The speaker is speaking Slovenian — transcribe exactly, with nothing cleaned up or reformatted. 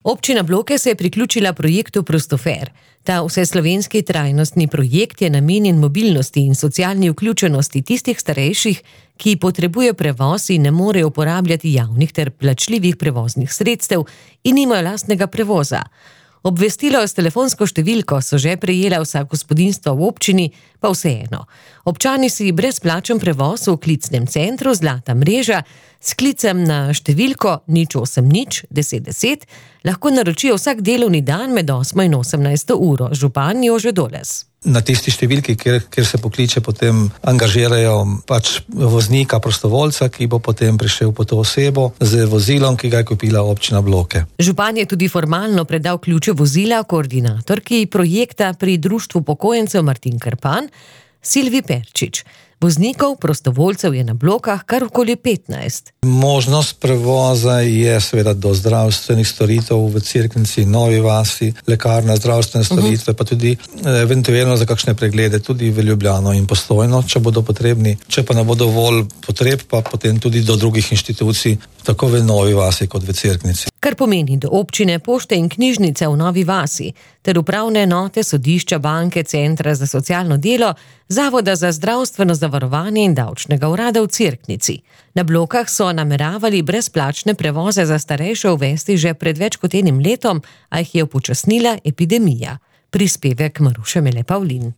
Občina Bloke se je priključila projektu Prostofer. Ta vseslovenski trajnostni projekt je namenjen mobilnosti in socialni vključenosti tistih starejših, ki potrebujejo prevoz in ne morejo uporabljati javnih ter plačljivih prevoznih sredstev in nimajo lastnega prevoza. Obvestilo s telefonsko številko so že prejela vsa gospodinjstva v občini, pa vseeno. Občani si brezplačen prevoz v klicnem centru Zlata mreža s klicem na številko nič osem nič deset deset lahko naročijo vsak delovni dan med osmo in osemnajsto uro. Župan Jože Doles. Na tisti številki, kjer, kjer se pokliče, potem angažirajo pač voznika, prostovoljca, ki bo potem prišel po to osebo z vozilom, ki ga je kupila občina Bloke. Župan je tudi formalno predal ključe vozila koordinatorki projekta pri Društvu upokojencev Martin Krpan, Silvi Perčič. Voznikov, prostovoljcev je na Blokah kar okoli petnajst. Možnost prevoza je seveda do zdravstvenih storitev v Cerknici, Novi vasi, lekarna, zdravstvene storitve, uh-huh. pa tudi eventualno za kakšne preglede tudi v Ljubljano in Postojno, če bodo potrebni. Če pa ne bo dovolj potreb, pa potem tudi do drugih inštitucij, tako v Novi vasi kot v Cerknici. Kar pomeni do občine, pošte in knjižnice v Novi vasi, ter upravne enote, sodišča, banke, centra za socialno delo, Zavoda za zdravstveno zavarovanje in davčnega urada v Cerknici. Na Blokah so nameravali brezplačne prevoze za starejše uvesti že pred več kot enim letom, a jih je upočasnila epidemija. Prispevek Maruše Mele Pavlin.